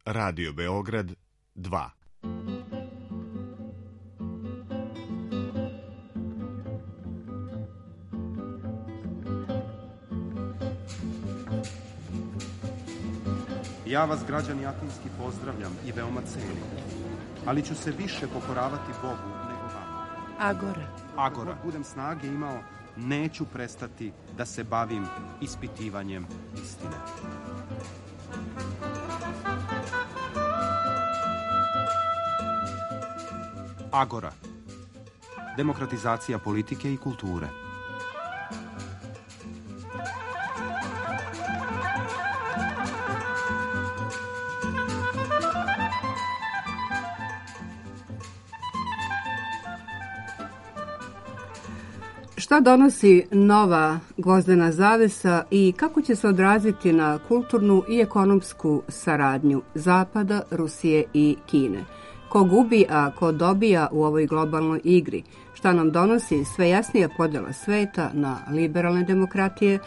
Radio Beograd 2. Ja vas, građani Atinski, pozdravljam i veoma cenim, ali ću se više pokoravati Bogu nego vama. Agora. Dok budem snage imao, neću prestati da se bavim ispitivanjem istine. Agora. Demokratizacija politike i kulture. Šta donosi nova gvozdena zavesa i kako će se odraziti na kulturnu i ekonomsku saradnju Zapada, Rusije i Kine? Ko gubi, a ko dobija u ovoj globalnoj igri? Šta nam donosi sve jasnija podjela sveta na liberalne demokratije,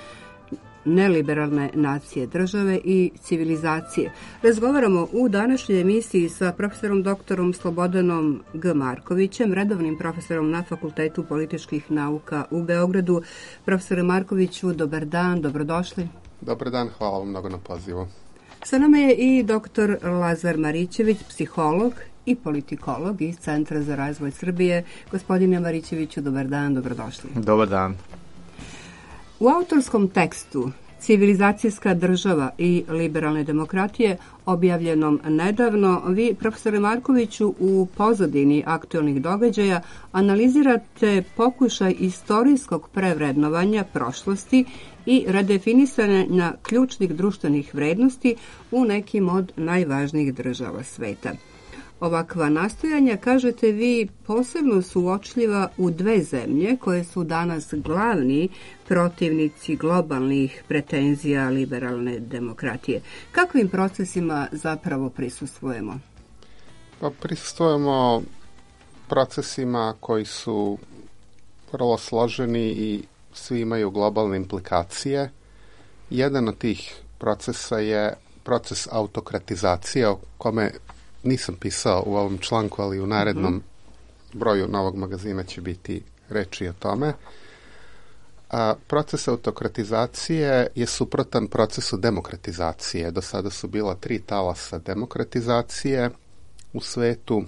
neliberalne nacije države i civilizacije? Razgovaramo u današnjoj emisiji sa profesorom doktorom Slobodanom G. Markovićem, redovnim profesorom na Fakultetu političkih nauka u Beogradu. Profesore Markoviću, dobar dan, dobrodošli. Dobar dan, hvala vam mnogo na pozivu. Sa nama je i doktor Lazar Marićević, psiholog i politikolog iz Centra za razvoj Srbije. Gospodine Marićeviću, dobar dan, dobrodošli. Dobar dan. U autorskom tekstu Civilizacijska država i liberalne demokratije, objavljenom nedavno, vi, profesore Markoviću, u pozadini aktualnih događaja analizirate pokušaj istorijskog prevrednovanja prošlosti i redefinisanja ključnih društvenih vrednosti u nekim od najvažnijih država sveta. Ovakva nastojanja, kažete vi, posebno su uočljiva u dve zemlje koje su danas glavni protivnici globalnih pretenzija liberalne demokratije. Kakvim procesima zapravo prisustvujemo? Pa prisustvujemo procesima koji su vrlo složeni i svi imaju globalne implikacije. Jedan od tih procesa je proces autokratizacije, o kome nisam pisao u ovom članku, ali u narednom broju novog magazina će biti reči o tome. Proces autokratizacije je suprotan procesu demokratizacije. Do sada su bila 3 talasa demokratizacije u svetu.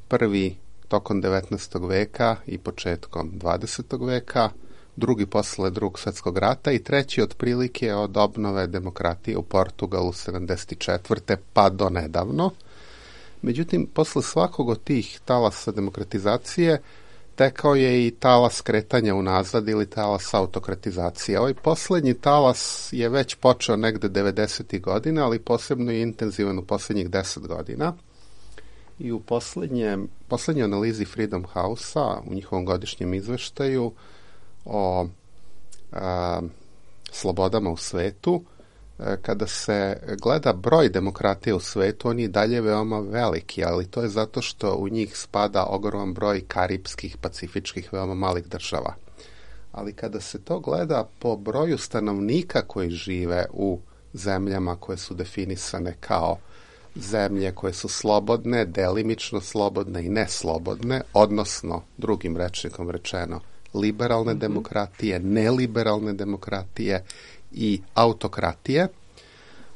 Prvi tokom 19. veka i početkom 20. veka, drugi posle Drugog svjetskog rata i treći otprilike od obnove demokratije u Portugalu 74. pa do nedavno. Međutim, posle svakog od tih talasa demokratizacije tekao je i talas kretanja unazad ili talas autokratizacije. Ovaj poslednji talas je već počeo negde 90. godina, ali posebno je intenzivan u poslednjih 10 godina. I u poslednjoj analizi Freedom House-a, u njihovom godišnjem izveštaju o slobodama u svetu, kada se gleda broj demokratije u svetu, on je dalje veoma veliki, ali to je zato što u njih spada ogroman broj karipskih, pacifičkih, veoma malih država. Ali kada se to gleda po broju stanovnika koji žive u zemljama koje su definisane kao zemlje koje su slobodne, delimično slobodne i neslobodne, odnosno, drugim rečnikom rečeno, liberalne demokratije, neliberalne demokratije i autokratije,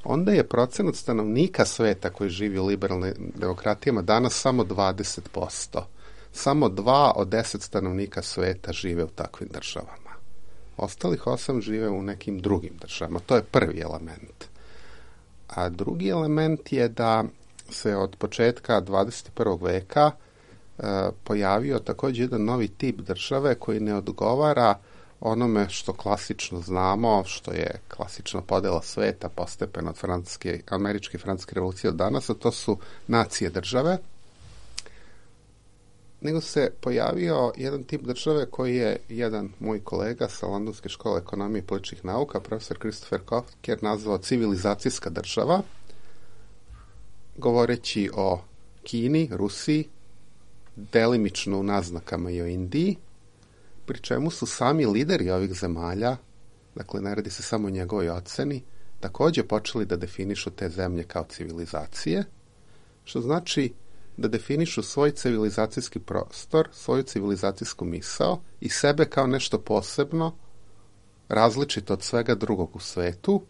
onda je procenat stanovnika sveta koji živi u liberalnim demokratijama danas samo 20%. Samo 2 od 10 stanovnika sveta žive u takvim državama. Ostalih 8 žive u nekim drugim državama. To je prvi element. A drugi element je da se od početka 21. veka pojavio također jedan novi tip države koji ne odgovara onome što klasično znamo, što je klasična podela sveta postepeno od američke i francuske revolucije od danas, a to su nacije države, nego se pojavio jedan tip države koji je jedan moj kolega sa Londonske škole ekonomije i političkih nauka, profesor Christopher Kocher, nazvao civilizacijska država, govoreći o Kini, Rusiji, delimično u naznakama i o Indiji, pri čemu su sami lideri ovih zemalja, dakle ne radi se samo o njegovoj oceni, također počeli da definišu te zemlje kao civilizacije, što znači da definišu svoj civilizacijski prostor, svoju civilizacijsku misao i sebe kao nešto posebno, različito od svega drugog u svetu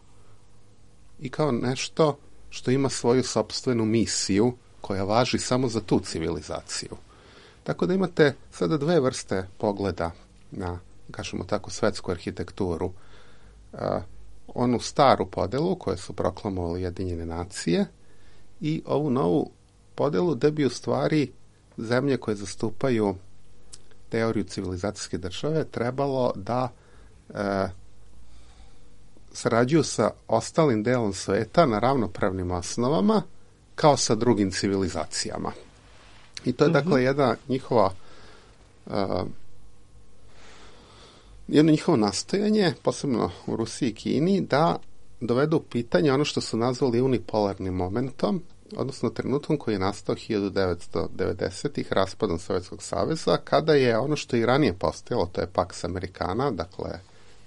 i kao nešto što ima svoju sopstvenu misiju koja važi samo za tu civilizaciju. Tako da imate sada dve vrste pogleda na, kažemo tako, svetsku arhitekturu. Onu staru podelu koju su proklamovali Ujedinjene nacije i ovu novu podelu gde bi u stvari zemlje koje zastupaju teoriju civilizacijske države trebalo da sarađuju sa ostalim delom sveta na ravnopravnim osnovama kao sa drugim civilizacijama. I to je dakle jedno njihovo nastojanje, posebno u Rusiji i Kini, da dovedu u pitanje ono što su nazvali unipolarnim momentom, odnosno trenutkom koji je nastao 1990-ih raspadom Sovjetskog saveza, kada je ono što i ranije postojalo, to je Pax Americana, dakle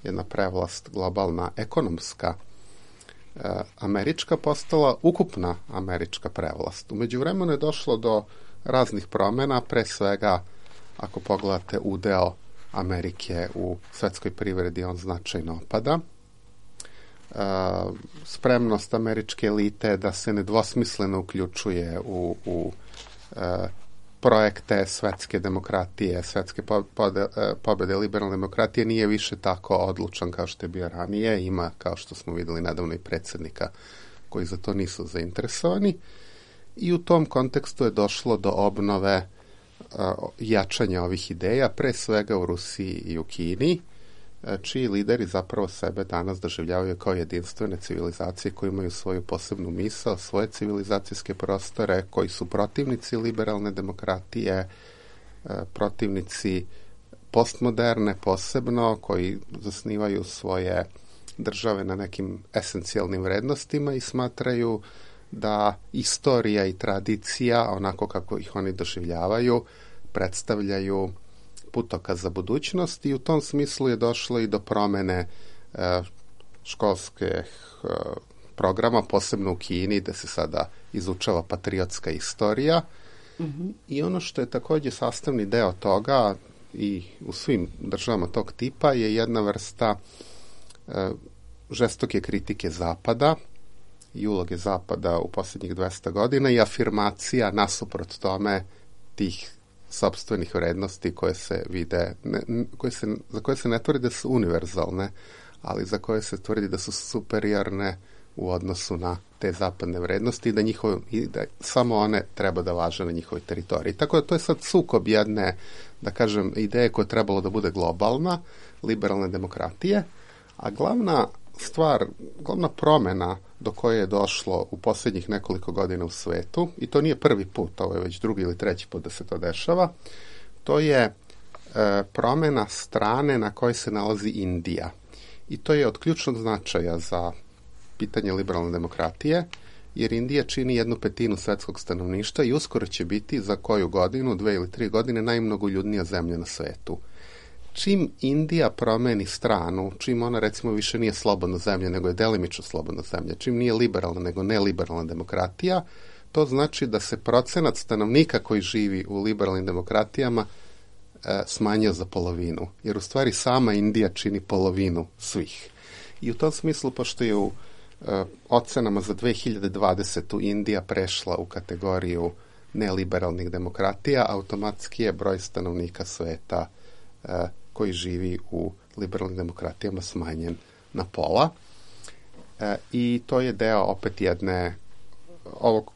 jedna prevlast globalna ekonomska američka, postala ukupna američka prevlast. U međuvremenu je došlo do raznih promjena, pre svega ako pogledate udeo Amerike u svetskoj privredi, on značajno opada. Spremnost američke elite da se nedvosmisleno uključuje u projekte svetske demokratije, svetske pobede liberalne demokratije nije više tako odlučan kao što je bio ranije. Ima, kao što smo videli nedavno, i predsjednika koji za to nisu zainteresovani. I u tom kontekstu je došlo do obnove jačanja ovih ideja, pre svega u Rusiji i u Kini, čiji lideri zapravo sebe danas doživljavaju kao jedinstvene civilizacije koji imaju svoju posebnu misao, svoje civilizacijske prostore, koji su protivnici liberalne demokratije, protivnici postmoderne posebno, koji zasnivaju svoje države na nekim esencijalnim vrednostima i smatraju da istorija i tradicija, onako kako ih oni doživljavaju, predstavljaju putokaz za budućnost i u tom smislu je došlo i do promene školskih programa, posebno u Kini, gde se sada izučava patriotska istorija. I ono što je također sastavni deo toga i u svim državama tog tipa je jedna vrsta žestoke kritike Zapada i uloge Zapada u posljednjih 200 godina i afirmacija nasuprot tome tih sopstvenih vrednosti koje se vide, za koje se ne tvrdi da su univerzalne, ali za koje se tvrdi da su superiorne u odnosu na te zapadne vrednosti i da samo one treba da važe na njihovoj teritoriji. Tako da to je sad sukob jedne, da kažem, ideje koja je trebalo da bude globalna, liberalne demokratije, a glavna promjena do koje je došlo u posljednjih nekoliko godina u svetu, i to nije prvi put, ovo je već drugi ili treći put da se to dešava, to je promjena strane na kojoj se nalazi Indija. I to je od ključnog značaja za pitanje liberalne demokratije, jer Indija čini 1/5 svetskog stanovništva i uskoro će biti za koju godinu, 2 ili 3 godine, najmnogoljudnija zemlja na svetu. Čim Indija promeni stranu, čim ona recimo više nije slobodna zemlja, nego je delimično slobodna zemlja, čim nije liberalna nego neliberalna demokratija, to znači da se procenat stanovnika koji živi u liberalnim demokratijama smanjio za polovinu, jer u stvari sama Indija čini polovinu svih. I u tom smislu, pošto je u ocenama za 2020. Indija prešla u kategoriju neliberalnih demokratija, automatski je broj stanovnika sveta koji živi u liberalnim demokratijama smanjen na pola. I to je deo opet jedne,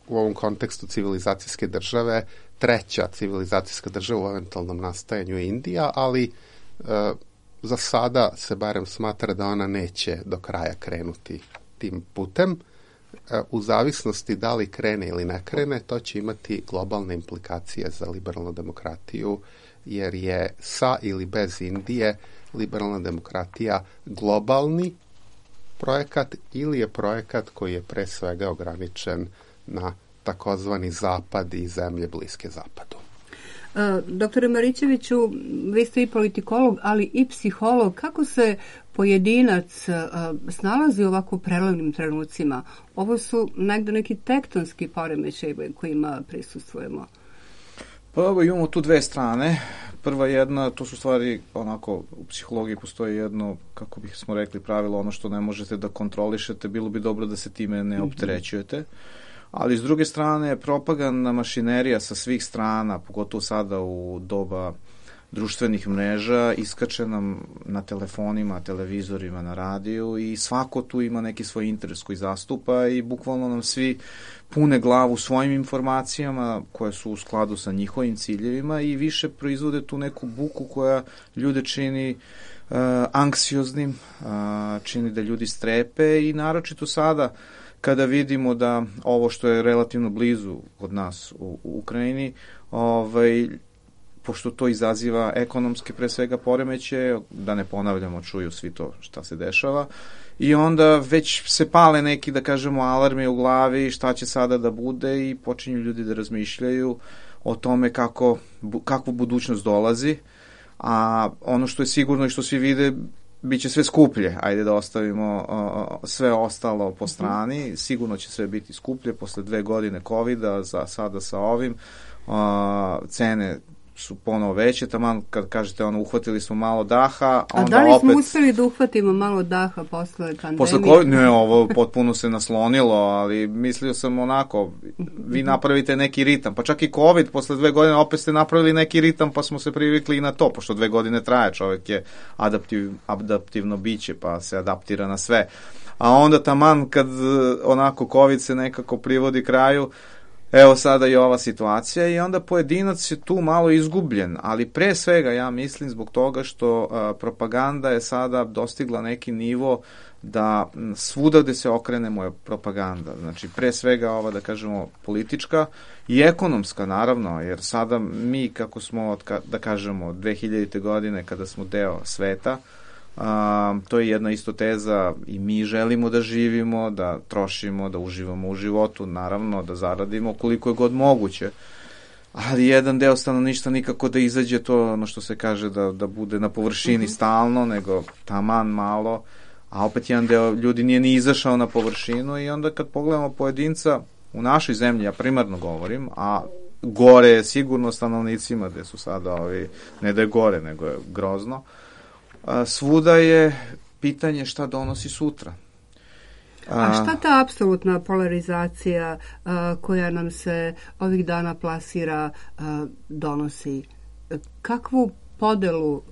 u ovom kontekstu civilizacijske države, treća civilizacijska država u eventualnom nastajanju je Indija, ali za sada se barem smatra da ona neće do kraja krenuti tim putem. U zavisnosti da li krene ili ne krene, to će imati globalne implikacije za liberalnu demokratiju, jer je sa ili bez Indije liberalna demokratija globalni projekat ili je projekat koji je pre svega ograničen na takozvani zapad i zemlje bliske zapadu. Doktore Marićeviću, vi ste i politikolog, ali i psiholog. Kako se pojedinac snalazi u ovako prelomnim trenucima? Ovo su negde neki tektonski poremećaj kojima prisustvujemo. Pa evo, imamo tu dve strane. Prva jedna, to su stvari, onako, u psihologiji postoji jedno, kako smo rekli, pravilo, ono što ne možete da kontrolišete, bilo bi dobro da se time ne opterećujete. Ali s druge strane, propagandna mašinerija sa svih strana, pogotovo sada u doba društvenih mreža, iskače nam na telefonima, televizorima, na radiju i svako tu ima neki svoj interes koji zastupa i bukvalno nam svi pune glavu svojim informacijama koje su u skladu sa njihovim ciljevima i više proizvode tu neku buku koja ljude čini anksioznim, čini da ljudi strepe i naročito sada kada vidimo da ovo što je relativno blizu od nas u Ukrajini, pošto to izaziva ekonomske pre svega poremeće, da ne ponavljamo, čuju svi to šta se dešava, i onda već se pale neki, da kažemo, alarmi u glavi šta će sada da bude i počinju ljudi da razmišljaju o tome kakvu budućnost dolazi, a ono što je sigurno i što svi vide, bit će sve skuplje, ajde da ostavimo sve ostalo po strani, sigurno će sve biti skuplje posle 2 godine COVID-a, sada sa ovim, cene su ponovo veće, taman kad kažete uhvatili smo malo daha, a da li smo uspeli da uhvatimo malo daha posle pandemije? Posle COVID, ne, ovo potpuno se naslonilo, ali mislio sam onako, vi napravite neki ritam, pa čak i COVID posle 2 godine opet ste napravili neki ritam, pa smo se privikli i na to, pošto 2 godine traje, čovjek je adaptivno biće, pa se adaptira na sve. A onda taman kad onako COVID se nekako privodi kraju, evo sada i ova situacija i onda pojedinac je tu malo izgubljen, ali pre svega ja mislim zbog toga što propaganda je sada dostigla neki nivo da svuda gde se okrenemo je propaganda. Znači pre svega ova, da kažemo, politička i ekonomska naravno, jer sada mi kako smo, da kažemo, 2000. godine kada smo deo sveta, to je jedna isto teza i mi želimo da živimo, da trošimo, da uživamo u životu, naravno da zaradimo koliko je god moguće, ali jedan deo stanovništva nikako da izađe to, ono što se kaže, da bude na površini stalno, nego taman malo, a opet jedan deo ljudi nije ni izašao na površinu i onda kad pogledamo pojedinca u našoj zemlji, ja primarno govorim, a gore je sigurno stanovnicima gde su sada ne da je gore, nego je grozno, svuda je pitanje šta donosi sutra. A šta ta apsolutna polarizacija koja nam se ovih dana plasira donosi? Kakvu podelu?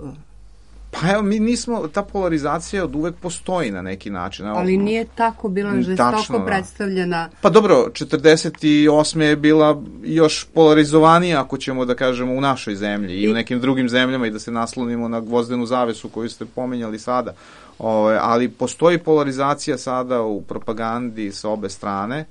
Pa evo, mi nismo, ta polarizacija od uvek postoji na neki način. Ali nije tako bila žestoko predstavljena. Pa dobro, 48. je bila još polarizovanija, ako ćemo da kažemo, u našoj zemlji i u nekim drugim zemljama i da se naslonimo na gvozdenu zavesu koju ste pominjali sada. Ali postoji polarizacija sada u propagandi sa obe strane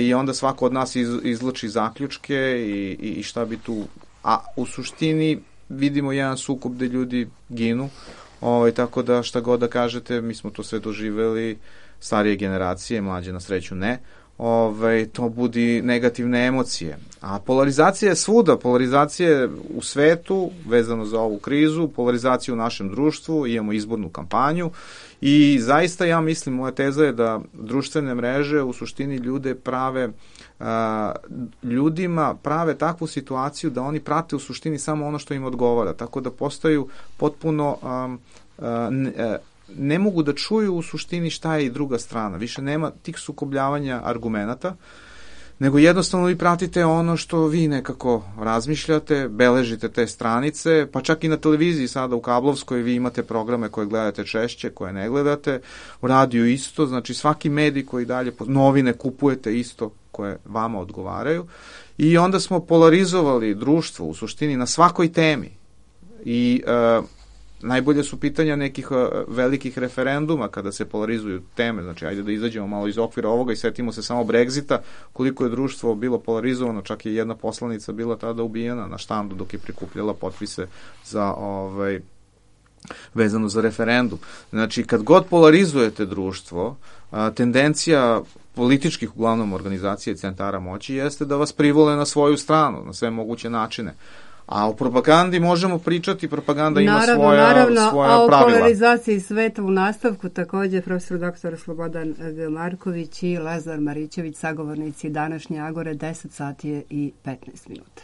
i onda svako od nas izvlači zaključke i šta bi tu... A u suštini vidimo jedan sukob gde ljudi ginu, tako da šta god da kažete, mi smo to sve doživeli, starije generacije, mlađe na sreću ne, to budi negativne emocije. A polarizacija je svuda, polarizacija je u svetu, vezano za ovu krizu, polarizacija u našem društvu, imamo izbornu kampanju i zaista ja mislim, moja teza je da društvene mreže u suštini ljudima prave takvu situaciju da oni prate u suštini samo ono što im odgovara, tako da postaju potpuno ne mogu da čuju u suštini šta je i druga strana, više nema tih sukobljavanja argumenata, nego jednostavno vi pratite ono što vi nekako razmišljate, beležite te stranice, pa čak i na televiziji sada u kablovskoj vi imate programe koje gledate češće, koje ne gledate, u radiju isto, znači svaki medij koji dalje, novine kupujete isto koje vama odgovaraju i onda smo polarizovali društvo u suštini na svakoj temi i najbolje su pitanja nekih velikih referenduma kada se polarizuju teme, znači ajde da izađemo malo iz okvira ovoga i setimo se samo Brexita, koliko je društvo bilo polarizovano, čak je jedna poslanica bila tada ubijena na štandu dok je prikupljala potpise za vezano za referendum. Znači, kad god polarizujete društvo, tendencija političkih, uglavnom organizacije centara moći, jeste da vas privole na svoju stranu, na sve moguće načine. A o propagandi možemo pričati, propaganda ima svoja pravila. A o polarizaciji sveta u nastavku također profesor dr. Slobodan G. Marković i Lazar Marićević, sagovornici današnje Agore, 10 sati i 15 minuta.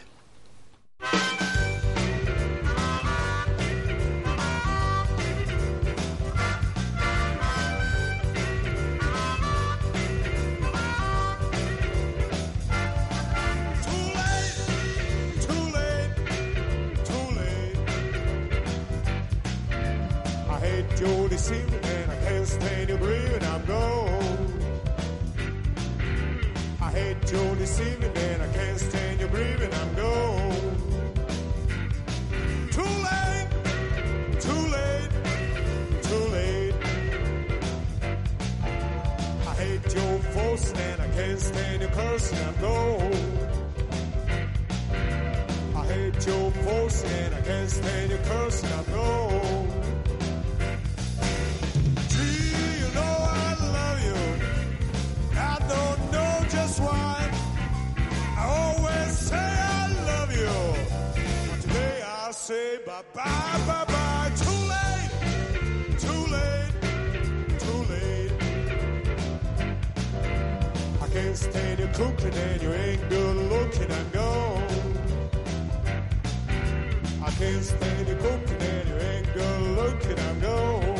You're deceiving and I can't stand you breathing, I'm gone. I hate your deceiving and I can't stand you breathing, I'm gone. Too late, too late, too late. I hate your forcing and I can't stand your cursing, I'm gone. I hate your forcing and I can't stand your cursing, I'm gone. Why I always say I love you, but today I'll say bye bye bye bye. Too late, too late, too late. I can't stand you cooking and you ain't good looking, I'm gone. I can't stand you cooking and you ain't good looking, I'm gone.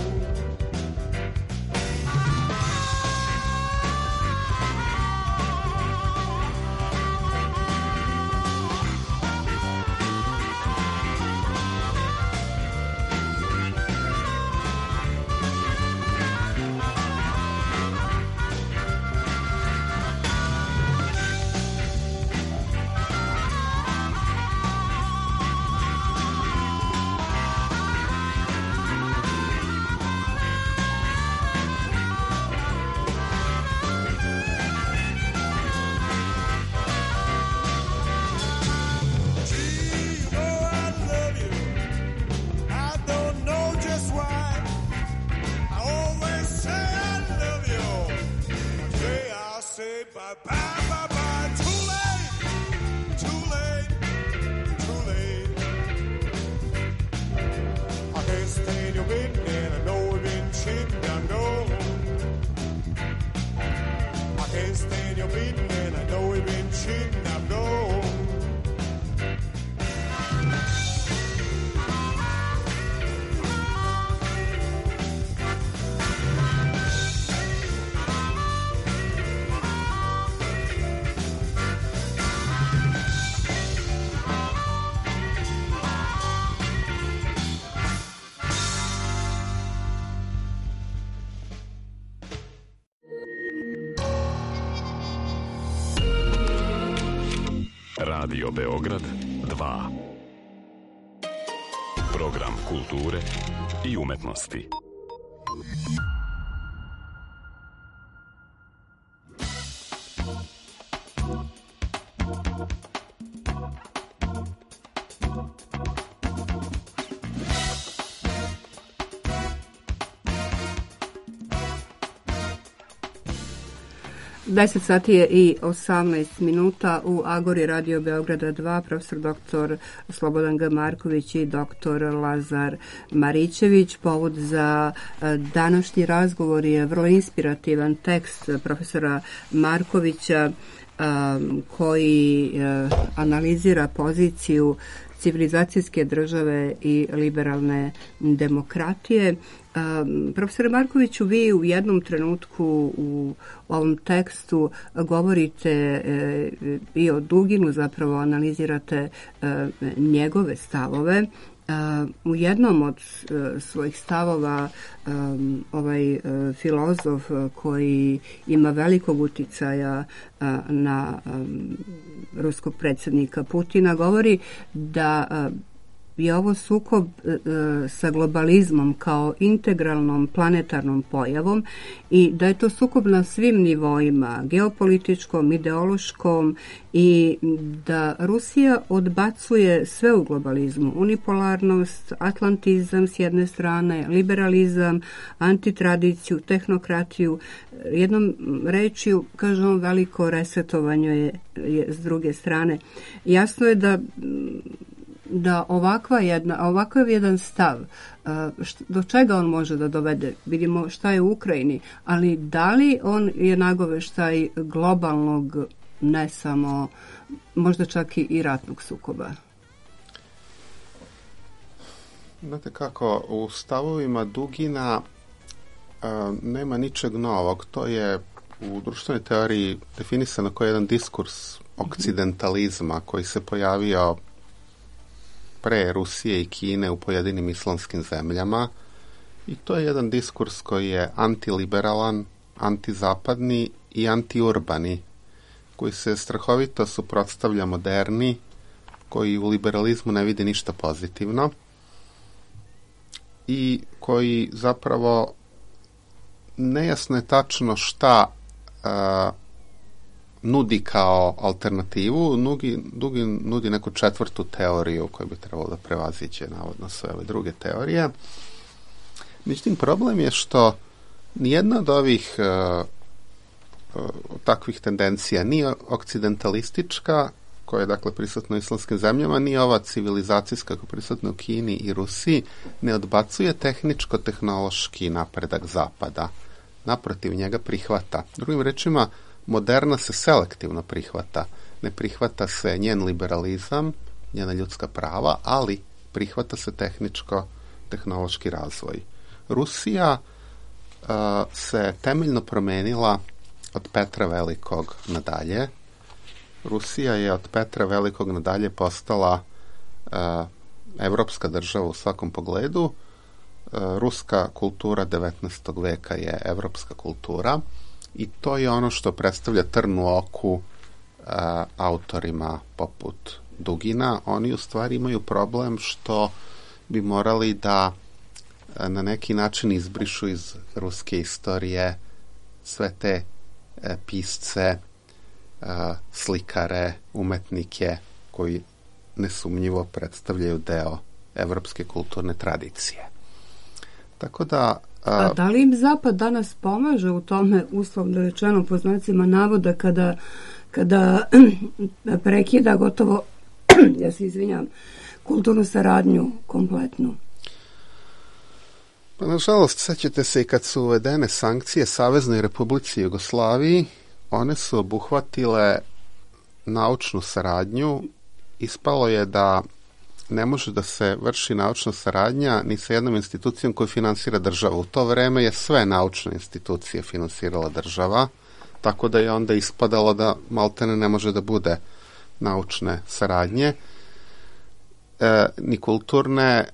Radio Beograd 2. Program kulture i umetnosti. Deset sati je i 18 minuta u Agori Radio Beograda 2, profesor dr. Slobodan G. Marković i dr. Lazar Marićević. Povod za današnji razgovor je vrlo inspirativan tekst profesora Markovića koji analizira poziciju civilizacijske države i liberalne demokratije. Profesor Markoviću, vi u jednom trenutku u ovom tekstu govorite i o Duginu, zapravo analizirate njegove stavove. U jednom od svojih stavova ovaj filozof koji ima velikog uticaja na ruskog predsjednika Putina govori da je ovo sukob sa globalizmom kao integralnom planetarnom pojavom i da je to sukob na svim nivoima, geopolitičkom, ideološkom, i da Rusija odbacuje sve u globalizmu, unipolarnost, atlantizam s jedne strane, liberalizam, antitradiciju, tehnokratiju, jednom rečju, kažem, veliko resetovanje je s druge strane. Jasno je da ovakav jedan stav, do čega on može da dovede? Vidimo šta je u Ukrajini, ali da li on je nagoveštaj globalnog, ne samo, možda čak i ratnog sukoba? Znate kako, u stavovima Dugina nema ničeg novog. To je u društvenoj teoriji definisano kao jedan diskurs okcidentalizma koji se pojavio pre Rusije i Kine u pojedinim islamskim zemljama, i to je jedan diskurs koji je antiliberalan, antizapadni i antiurbani, koji se strahovito suprotstavlja moderni, koji u liberalizmu ne vidi ništa pozitivno i koji zapravo nejasno je tačno šta nudi kao alternativu. Dugin nudi neku četvrtu teoriju koju bi trebalo da prevaziđe navodno sve ove druge teorije. Međutim, problem je što nijedna od ovih takvih tendencija, ni okcidentalistička, koja je dakle prisutna u islamskim zemljama, ni ova civilizacijska koja je prisutna u Kini i Rusiji, ne odbacuje tehničko-tehnološki napredak Zapada. Naprotiv, njega prihvata. Drugim rečima, moderna se selektivno prihvata. Ne prihvata se njen liberalizam, njena ljudska prava, ali prihvata se tehničko-tehnološki razvoj. Rusija se temeljno promenila od Petra Velikog nadalje. Rusija je od Petra Velikog nadalje postala evropska država u svakom pogledu. Ruska kultura 19. veka je evropska kultura i to je ono što predstavlja trn u oku autorima poput Dugina. Oni u stvari imaju problem što bi morali da na neki način izbrišu iz ruske istorije sve te pisce, slikare, umetnike koji nesumnjivo predstavljaju deo evropske kulturne tradicije. Tako da... A da li im Zapad danas pomaže u tome, uslovno rečeno po znacima navoda, kada prekida gotovo, ja se izvinjam, kulturnu saradnju kompletnu? Pa, nažalost, sećate se i kad su uvedene sankcije Saveznoj Republici Jugoslaviji, one su obuhvatile naučnu saradnju. Ispalo je da ne može da se vrši naučna saradnja ni sa jednom institucijom koju finansira država. U to vreme je sve naučne institucije finansirala država, tako da je onda ispadalo da maltene ne može da bude naučne saradnje, ni kulturne.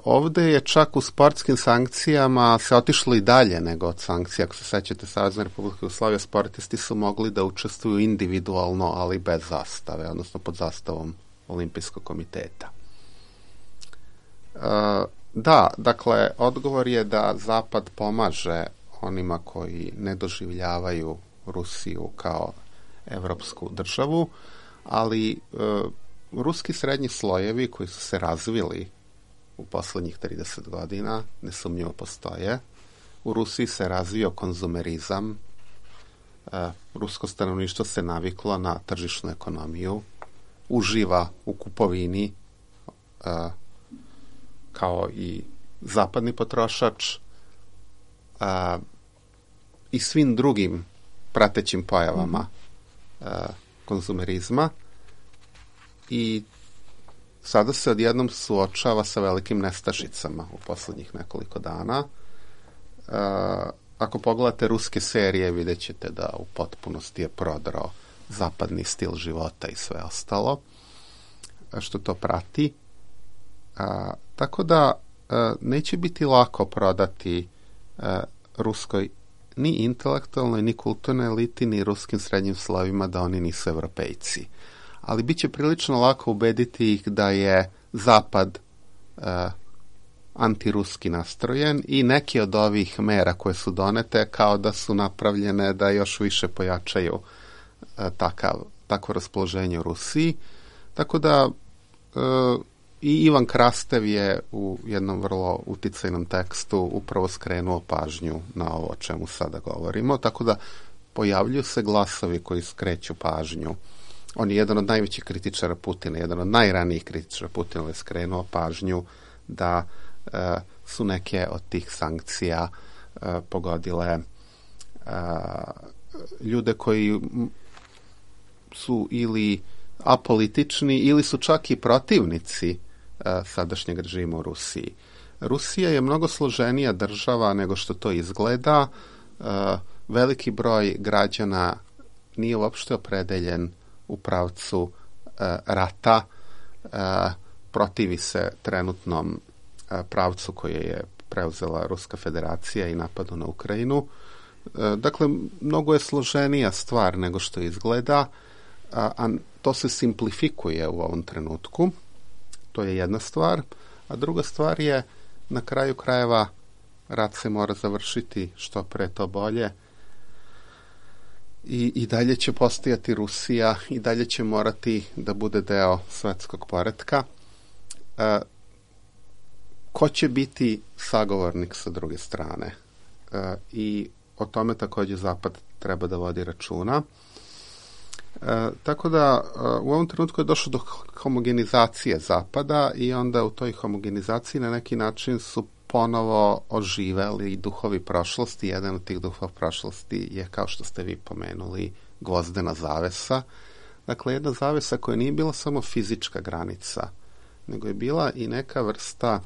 Ovde je čak u sportskim sankcijama se otišlo i dalje nego od sankcija. Ako se sećate, Savezna Republika Jugoslavija, sportisti su mogli da učestvuju individualno, ali bez zastave, odnosno pod zastavom Olimpijskog komiteta. Da, dakle, odgovor je da Zapad pomaže onima koji ne doživljavaju Rusiju kao evropsku državu, ali ruski srednji slojevi koji su se razvili u poslednjih 30 godina nesumnjivo postoje. U Rusiji se razvio konzumerizam. Rusko stanovništvo se naviklo na tržišnu ekonomiju, uživa u kupovini kao i zapadni potrošač i svim drugim pratećim pojavama konzumerizma, i sada se odjednom suočava sa velikim nestašicama u poslednjih nekoliko dana. Ako pogledate ruske serije, vidjet ćete da u potpunosti je prodrao zapadni stil života i sve ostalo što to prati. Tako da neće biti lako prodati ruskoj ni intelektualnoj, ni kulturnoj eliti, ni ruskim srednjim slovima da oni nisu Evropejci. Ali bit će prilično lako ubediti ih da je Zapad antiruski nastrojen i neke od ovih mera koje su donete kao da su napravljene da još više pojačaju takvo raspoloženje u Rusiji. Tako da i Ivan Krastev je u jednom vrlo uticajnom tekstu upravo skrenuo pažnju na ovo o čemu sada govorimo, tako da pojavljuju se glasovi koji skreću pažnju. On je jedan od najvećih kritičara Putina, jedan od najranijih kritičara Putina je skrenuo pažnju da su neke od tih sankcija pogodile ljude koji su ili apolitični ili su čak i protivnici sadašnjeg režima u Rusiji. Rusija je mnogo složenija država nego što to izgleda. Veliki broj građana nije uopšte opredeljen u pravcu rata, protivi se trenutnom pravcu koje je preuzela Ruska federacija i napadu na Ukrajinu. Dakle, mnogo je složenija stvar nego što izgleda, a to se simplifikuje u ovom trenutku. To je jedna stvar. A druga stvar je, na kraju krajeva, rat se mora završiti što pre to bolje. I dalje će postojati Rusija, i dalje će morati da bude deo svetskog poretka. Ko će biti sagovornik sa druge strane? I o tome također Zapad treba da vodi računa. Tako da u ovom trenutku je došlo do homogenizacije Zapada i onda u toj homogenizaciji na neki način su ponovo oživeli duhovi prošlosti. Jedan od tih duhova prošlosti je, kao što ste vi pomenuli, gvozdena zavesa. Dakle, jedna zavesa koja nije bila samo fizička granica, nego je bila i neka vrsta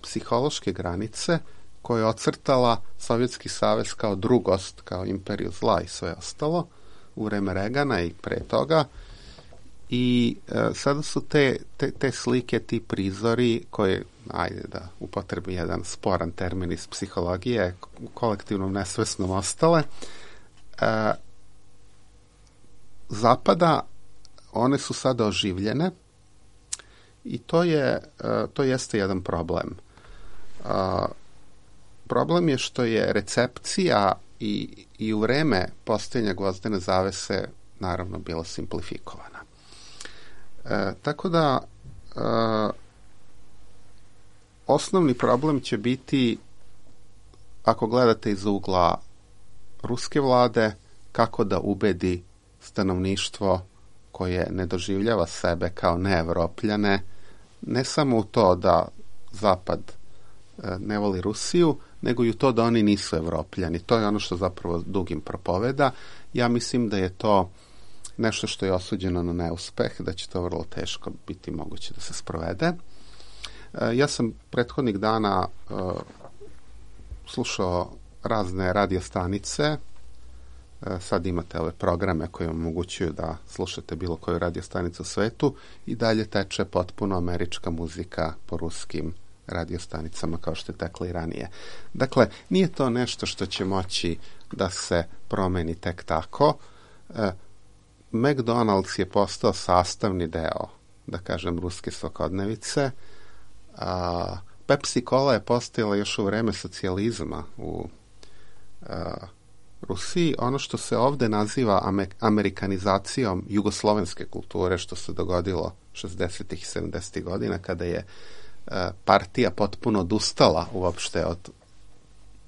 psihološke granice koja je ocrtala Sovjetski savez kao drugost, kao imperiju zla i sve ostalo u vreme Regana i pre toga. I sada su te slike, ti prizori koje, ajde da upotrebim jedan sporan termin iz psihologije, u kolektivnom nesvesnom ostale, Zapada, one su sada oživljene i to jeste jedan problem. Problem je što je recepcija i u vreme postojanja gvozdene zavese naravno bila simplifikovana. Tako da osnovni problem će biti, ako gledate iz ugla ruske vlade, kako da ubedi stanovništvo koje ne doživljava sebe kao neevropljane, ne samo u to da Zapad ne voli Rusiju, nego i u to da oni nisu Evropljani. To je ono što zapravo Dugin propoveda. Ja mislim da je to nešto što je osuđeno na neuspeh, da će to vrlo teško biti moguće da se sprovede. Ja sam prethodnih dana slušao razne radiostanice. Sad imate ove programe koje vam omogućuju da slušate bilo koju radiostanicu u svetu i dalje teče potpuno američka muzika po ruskim radiostanicama kao što je tekla i ranije. Dakle, nije to nešto što će moći da se promeni tek tako. McDonald's je postao sastavni deo, da kažem, ruske svakodnevice. Pepsi Cola je postojala još u vreme socijalizma u Rusiji. Ono što se ovde naziva amerikanizacijom jugoslovenske kulture, što se dogodilo 60. i 70. godina, kada je partija potpuno odustala uopšte od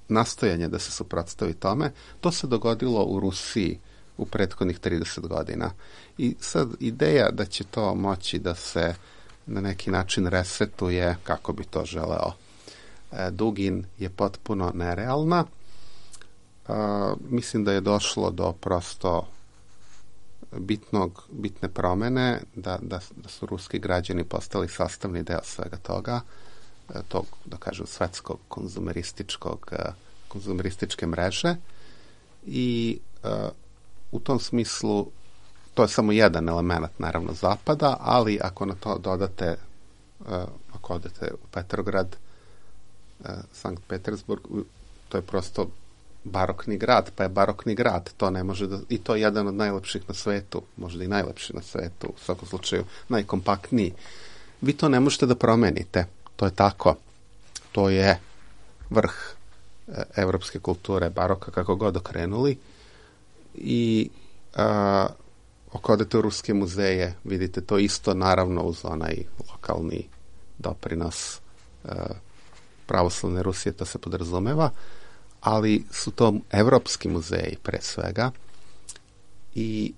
nastojanja da se suprotstavi tome, to se dogodilo u Rusiji u prethodnih 30 godina. I sad ideja da će to moći da se na neki način resetuje, kako bi to želeo Dugin, je potpuno nerealna. Mislim da je došlo do prosto bitne promene, da su ruski građani postali sastavni deo svega toga, tog, da kažem, svetskog konzumerističke mreže i u tom smislu to je samo jedan element, naravno, Zapada, ali ako na to dodate, ako odete u Petrograd, Sankt Petersburg, to je prosto barokni grad, pa je barokni grad, to ne može da, i to je jedan od najlepših na svetu, možda i najlepši na svetu, u svakom slučaju najkompaktniji. Vi to ne možete da promenite. To je tako. To je vrh evropske kulture, baroka, kako god okrenuli. I ako odete u ruske muzeje, vidite to isto, naravno uz onaj lokalni doprinos pravoslavne Rusije, to se podrazumeva, ali su to evropski muzeji pre svega i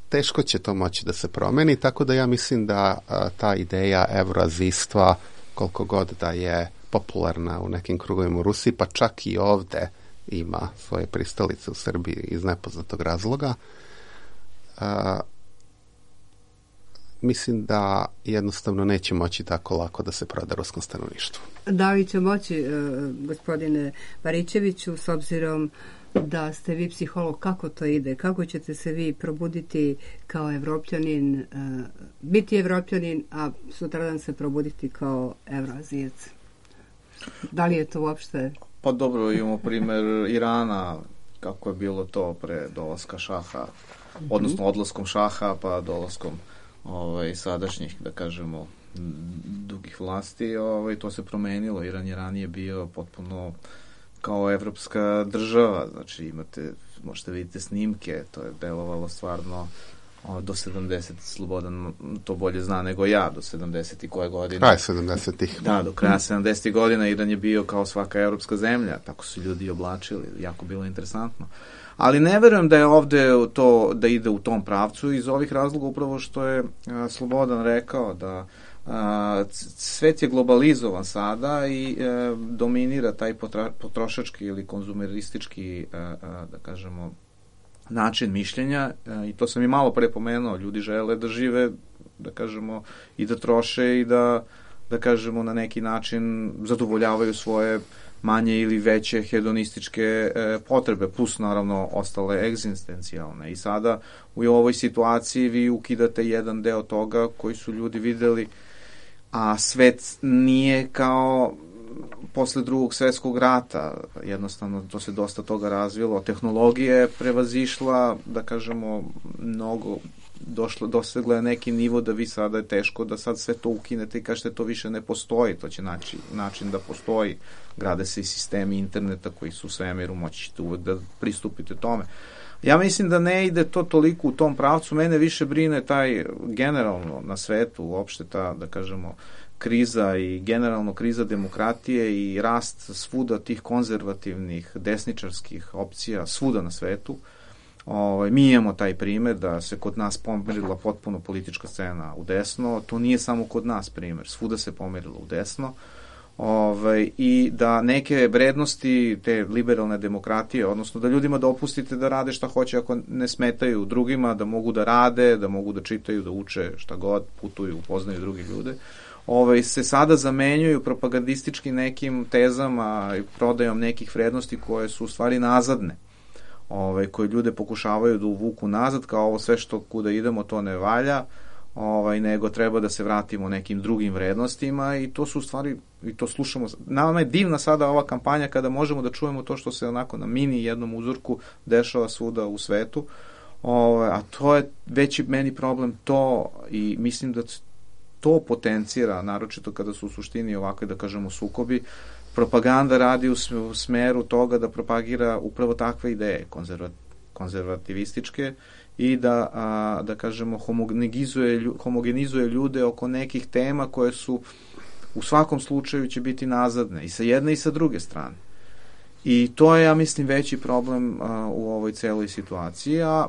teško će to moći da se promeni, tako da ja mislim da ta ideja evroazijstva, koliko god da je popularna u nekim krugovima u Rusiji, pa čak i ovde ima svoje pristalice u Srbiji iz nepoznatog razloga, mislim da jednostavno neće moći tako lako da se proda ruskom stanovništvu. Da li će moći, gospodine Baričeviću, s obzirom da ste vi psiholog, kako to ide? Kako ćete se vi probuditi kao Evropljanin, biti Evropljanin, a sutradan se probuditi kao Evroazijac? Da li je to uopšte... Pa dobro, imamo primjer Irana, kako je bilo to pre dolaska šaha, odnosno odlaskom šaha pa dolaskom sadašnjih, da kažemo, dugih vlasti, to se promenilo. Iran je ranije bio potpuno kao evropska država, znači možete vidite snimke, to je delovalo stvarno do 70, Slobodan to bolje zna nego ja, do 70 i koje godine. Kraj 70-ih. Da, do kraja 70 godina Iran je bio kao svaka evropska zemlja, tako su ljudi oblačili, jako bilo interesantno. Ali ne verujem da je ovde to, da ide u tom pravcu iz ovih razloga, upravo što je Slobodan rekao da svet je globalizovan sada i dominira taj potrošački ili konzumeristički, da kažemo, način mišljenja, i to sam i malo pre pomenuo, ljudi žele da žive, da kažemo, i da troše i da kažemo, na neki način zadovoljavaju svoje manje ili veće hedonističke potrebe, plus naravno ostale egzistencijalne. I sada u ovoj situaciji vi ukidate jedan deo toga koji su ljudi videli, a svet nije kao posle Drugog svjetskog rata, jednostavno to se dosta toga razvilo, tehnologija je prevazišla, da kažemo, mnogo, dosegla je neki nivo da vi sada je teško da sad sve to ukinete i kažete to više ne postoji, to će naći način da postoji, grade se i sistemi interneta koji su u svemiru, moći ćete uvek da pristupite tome. Ja mislim da ne ide to toliko u tom pravcu, mene više brine taj generalno na svetu, uopšte ta, da kažemo, kriza i generalno kriza demokratije i rast svuda tih konzervativnih, desničarskih opcija svuda na svetu. Mi imamo taj primer da se kod nas pomerila potpuno politička scena u desno, to nije samo kod nas primer, svuda se pomerila u desno, i da neke vrednosti te liberalne demokratije, odnosno da ljudima dopustite da rade šta hoće ako ne smetaju drugima, da mogu da rade, da mogu da čitaju, da uče šta god, putuju, upoznaju druge ljude, se sada zamenjuju propagandistički nekim tezama i prodajom nekih vrednosti koje su u stvari nazadne, koje ljude pokušavaju da uvuku nazad, kao ovo sve što kuda idemo to ne valja, nego treba da se vratimo nekim drugim vrednostima, i to su u stvari, i to slušamo. Nama je divna sada ova kampanja kada možemo da čujemo to što se onako na mini jednom uzorku dešava svuda u svetu, a to je veći meni problem to, i mislim da to potencira, naročito kada su u suštini ovakve, da kažemo, sukobi. Propaganda radi u smeru toga da propagira upravo takve ideje, konzervativističke, i da kažemo, homogenizuje ljude oko nekih tema koje su u svakom slučaju će biti nazadne i sa jedne i sa druge strane. I to je, ja mislim, veći problem u ovoj celoj situaciji. A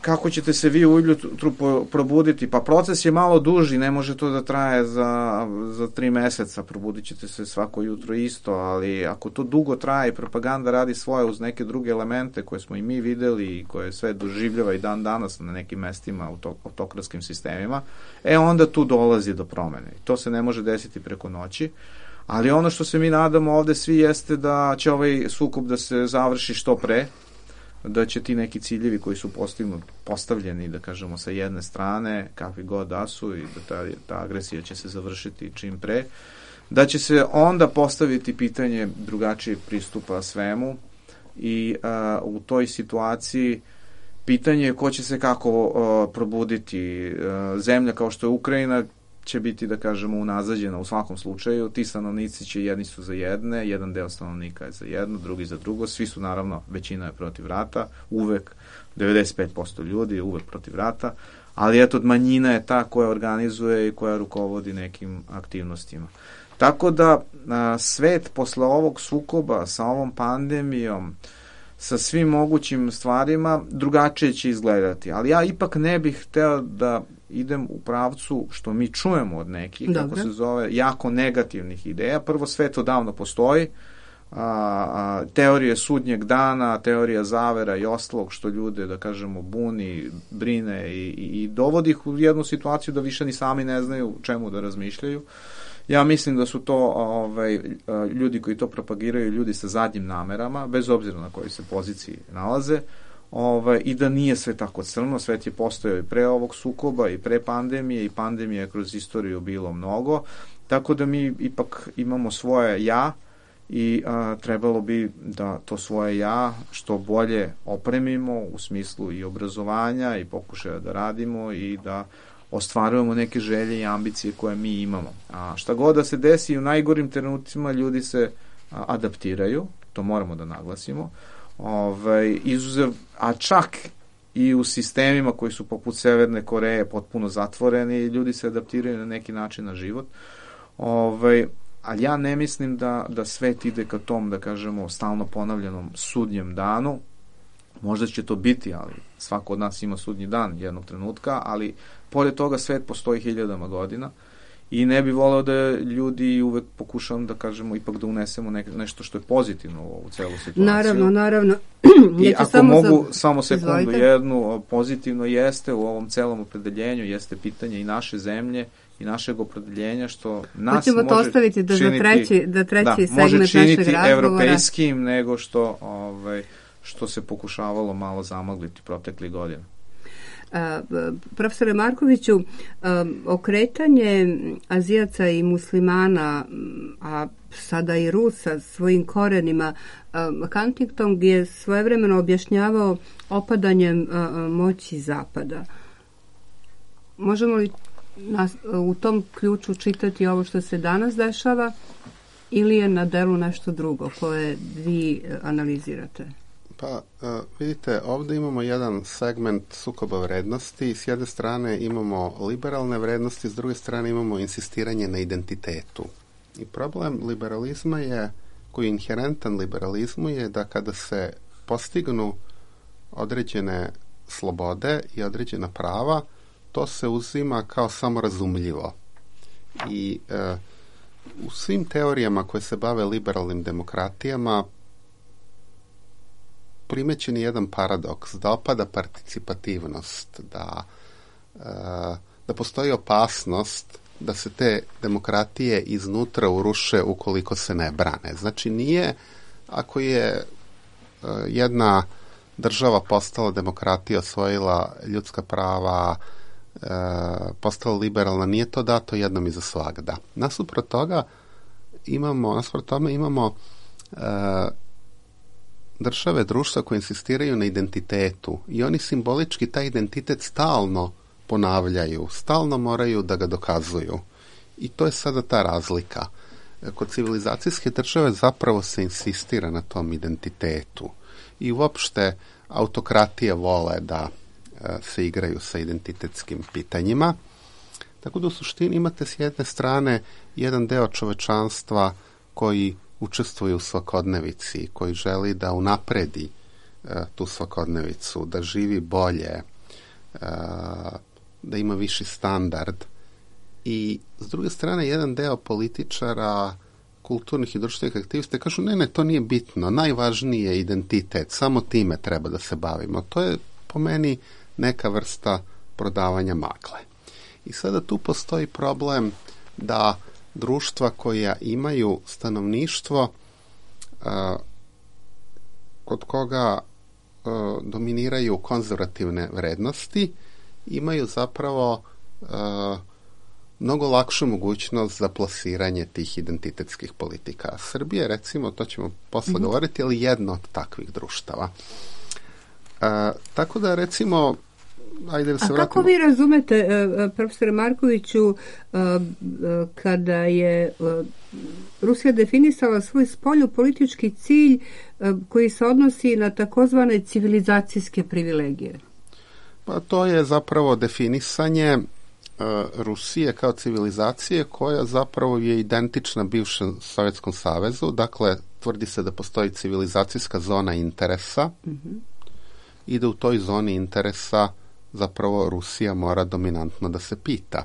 kako ćete se vi ujutru probuditi? Pa proces je malo duži, ne može to da traje za 3 meseca, probudit ćete se svako jutro isto, ali ako to dugo traje i propaganda radi svoje uz neke druge elemente koje smo i mi videli i koje sve doživljava i dan danas na nekim mestima u autokratskim sistemima, onda tu dolazi do promene. To se ne može desiti preko noći, ali ono što se mi nadamo ovde svi jeste da će ovaj sukob da se završi što pre, da će ti neki ciljevi koji su postavljeni, da kažemo, sa jedne strane, kakvi god da su, i da ta agresija će se završiti čim pre, da će se onda postaviti pitanje drugačijeg pristupa svemu, i u toj situaciji pitanje je ko će se kako probuditi. Zemlja kao što je Ukrajina će biti, da kažemo, unazađena u svakom slučaju. Ti stanovnici će, jedni su za jedne, jedan deo stanovnika je za jedno, drugi za drugo, svi su naravno, većina je protiv rata, uvek, 95% ljudi je uvek protiv rata, ali eto, manjina je ta koja organizuje i koja rukovodi nekim aktivnostima. Tako da svet posle ovog sukoba sa ovom pandemijom, sa svim mogućim stvarima, drugačije će izgledati. Ali ja ipak ne bih hteo da idem u pravcu što mi čujemo od nekih, kako se zove, jako negativnih ideja. Prvo, svet odavno postoji, teorije sudnjeg dana, teorija zavera i ostalog što ljude, da kažemo, buni, brine i dovodi ih u jednu situaciju da više ni sami ne znaju čemu da razmišljaju. Ja mislim da su to ljudi koji to propagiraju, ljudi sa zadnjim namerama, bez obzira na kojoj se poziciji nalaze, i da nije sve tako crno. Svet je postojao i pre ovog sukoba i pre pandemije, i pandemije je kroz istoriju bilo mnogo, tako da mi ipak imamo svoje ja i trebalo bi da to svoje ja što bolje opremimo u smislu i obrazovanja i pokušaja da radimo i da ostvarujemo neke želje i ambicije koje mi imamo. A šta god da se desi, u najgorim trenucima ljudi se adaptiraju, to moramo da naglasimo, izuzev, a čak i u sistemima koji su poput Severne Koreje potpuno zatvoreni, ljudi se adaptiraju na neki način na život, ali ja ne mislim da svet ide ka tom, da kažemo, stalno ponavljanom sudnjem danu. Možda će to biti, ali svako od nas ima sudnji dan jednog trenutka, ali pored toga svet postoji hiljadama godina i ne bi voleo da ljudi uvek pokušavam, da kažemo, ipak da unesemo nešto što je pozitivno u ovu celu situaciju. Naravno. I ako mogu samo sekundu jednu, pozitivno jeste u ovom celom opredeljenju, jeste pitanje i naše zemlje i našeg opredeljenja, što nas ćemo može to ostaviti da treći segment može činiti našeg razgovora evropejskim nego što se pokušavalo malo zamagliti proteklih godina. Profesore Markoviću, okretanje Azijaca i muslimana, a sada i Rusa svojim korenima, Huntington je svojevremeno objašnjavao opadanjem moći Zapada. Možemo li u tom ključu čitati ovo što se danas dešava ili je na delu nešto drugo koje vi analizirate? Pa, vidite, ovdje imamo jedan segment sukoba vrednosti. S jedne strane imamo liberalne vrednosti, s druge strane imamo insistiranje na identitetu. I problem liberalizma je, koji je inherentan liberalizmu, je da kada se postignu određene slobode i određena prava, to se uzima kao samorazumljivo. I u svim teorijama koje se bave liberalnim demokratijama primećen je jedan paradoks, da opada participativnost, da postoji opasnost da se te demokratije iznutra uruše ukoliko se ne brane. Znači nije, ako je jedna država postala demokratija, osvojila ljudska prava, postala liberalna, nije to dato jednom i za svagda. Nasuprot tome imamo države, društva koje insistiraju na identitetu i oni simbolički taj identitet stalno ponavljaju, stalno moraju da ga dokazuju. I to je sada ta razlika. Kod civilizacijske države zapravo se insistira na tom identitetu i uopšte autokratije vole da se igraju sa identitetskim pitanjima. Tako da u suštini imate s jedne strane jedan deo čovečanstva koji učestvuje u svakodnevici, koji želi da unapredi tu svakodnevicu, da živi bolje, da ima viši standard. I s druge strane jedan deo političara, kulturnih i društvenih aktivista kažu ne, to nije bitno, najvažniji je identitet, samo time treba da se bavimo. To je po meni neka vrsta prodavanja magle. I sada tu postoji problem da društva koja imaju stanovništvo kod koga dominiraju konzervativne vrednosti, imaju zapravo mnogo lakšu mogućnost za plasiranje tih identitetskih politika. Srbija, recimo, to ćemo posle govoriti, ali jedno od takvih društava. Tako da, recimo, ajde da se vratimo. Kako vi razumete, profesore Markoviću, kada je Rusija definisala svoj spoljnopolitički cilj koji se odnosi na takozvane civilizacijske privilegije? Pa to je zapravo definisanje Rusije kao civilizacije koja zapravo je identična bivšem Sovjetskom savezu. Dakle, tvrdi se da postoji civilizacijska zona interesa i da u toj zoni interesa zapravo Rusija mora dominantno da se pita.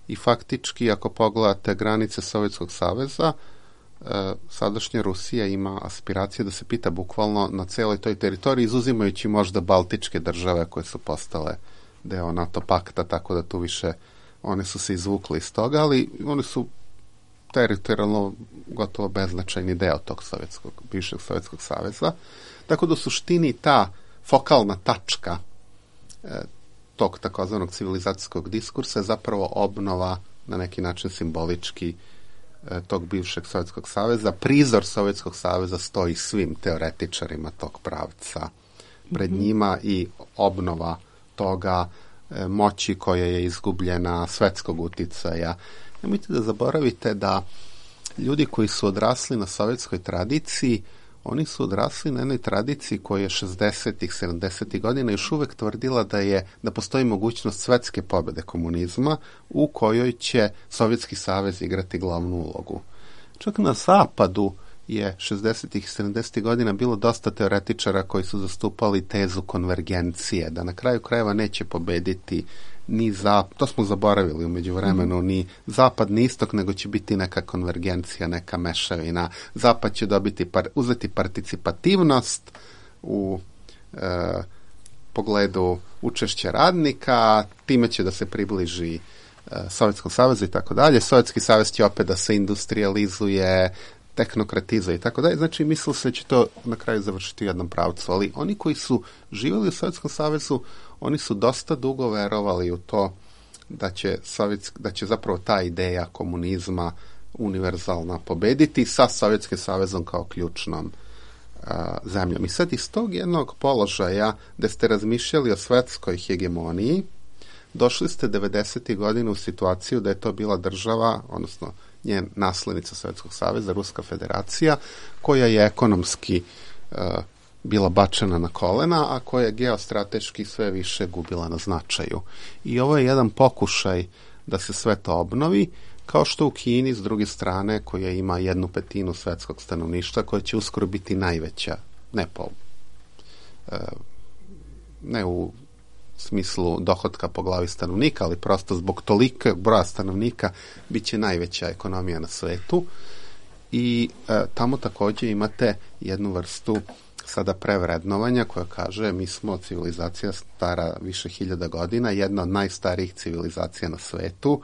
I faktički, ako pogledate granice Sovjetskog saveza, sadašnja Rusija ima aspiracije da se pita bukvalno na celoj toj teritoriji, izuzimajući možda baltičke države koje su postale deo NATO pakta, tako da tu više one su se izvukli iz toga, ali one su teritorijalno gotovo beznačajni deo tog bivšeg Sovjetskog saveza. Tako da u suštini ta fokalna tačka tog takozvanog civilizacijskog diskursa je zapravo obnova na neki način simbolički tog bivšeg Sovjetskog saveza. Prizor Sovjetskog saveza stoji svim teoretičarima tog pravca pred njima i obnova toga moći koja je izgubljena, svetskog uticaja. Nemojte da zaboravite da ljudi koji su odrasli na sovjetskoj tradiciji, oni su odrasli na jednoj tradiciji koja je 60-ih, 70-ih godina još uvek tvrdila da postoji mogućnost svetske pobede komunizma u kojoj će Sovjetski savez igrati glavnu ulogu. Čak na zapadu je 60-ih i 70-ih godina bilo dosta teoretičara koji su zastupali tezu konvergencije, da na kraju krajeva neće pobediti ni to smo zaboravili u međuvremenu, ni zapad ni istok, nego će biti neka konvergencija, neka mešavina. Zapad će uzeti participativnost u pogledu učešća radnika, time će da se približi Sovjetskom savezu i tako dalje. Sovjetski savez će opet da se industrializuje, tehnokratizuje i tako dalje. Znači, mislilo se da će to na kraju završiti u jednom pravcu. Ali oni koji su živjeli u Sovjetskom savezu, oni su dosta dugo verovali u to da će zapravo ta ideja komunizma univerzalna pobediti sa Sovjetskim savezom kao ključnom zemljom. I sad iz tog jednog položaja gde ste razmišljali o svetskoj hegemoniji, došli ste 90. godina u situaciju da je to bila država, odnosno njen naslednica Sovjetskog saveza, Ruska federacija, koja je ekonomski bila bačena na kolena, a koja je geostrateški sve više gubila na značaju. I ovo je jedan pokušaj da se sve to obnovi, kao što u Kini, s druge strane, koja ima 1/5 svetskog stanovništva, koja će uskoro biti najveća, ne u smislu dohotka po glavi stanovnika, ali prosto zbog tolikog broja stanovnika bit će najveća ekonomija na svetu. I tamo također imate jednu vrstu sada prevrednovanja koja kaže mi smo civilizacija stara više 1000 godina, jedna od najstarijih civilizacija na svetu